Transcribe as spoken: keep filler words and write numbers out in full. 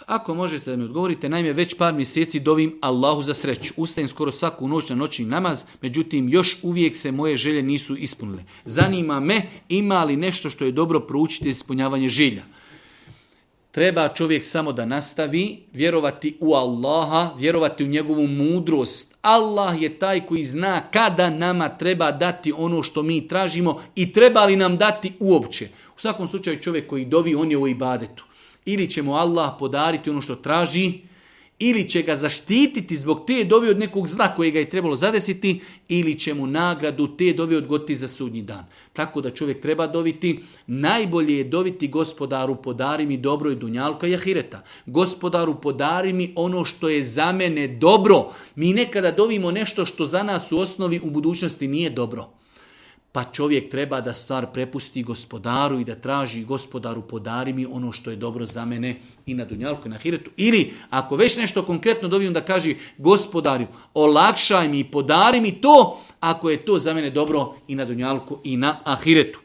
Ako možete da mi odgovorite, naime već par mjeseci dovim Allahu za sreću. Ustajem skoro svaku noć na noćni namaz, međutim još uvijek se moje želje nisu ispunile. Zanima me ima li nešto što je dobro proučiti za ispunjavanje želja. Treba čovjek samo da nastavi vjerovati u Allaha, vjerovati u njegovu mudrost. Allah je taj koji zna kada nama treba dati ono što mi tražimo i treba li nam dati uopće. U svakom slučaju čovjek koji dovi, on je u ibadetu. Ili će mu Allah podariti ono što traži, ili će ga zaštititi zbog te dovi od nekog zla koje ga je trebalo zadesiti, ili će mu nagradu te dovi odgoditi za sudnji dan. Tako da čovjek treba doviti, najbolje je doviti Gospodaru podari mi dobro i dunjalka i ahireta. Gospodaru podari mi ono što je za mene dobro. Mi nekada dovimo nešto što za nas u osnovi u budućnosti nije dobro. Pa čovjek treba da stvar prepusti Gospodaru i da traži Gospodaru podari mi ono što je dobro za mene i na dunjalku i na ahiretu. Ili ako već nešto konkretno dobijem da kaže Gospodaru olakšaj mi i podari mi to ako je to za mene dobro i na dunjalku i na ahiretu.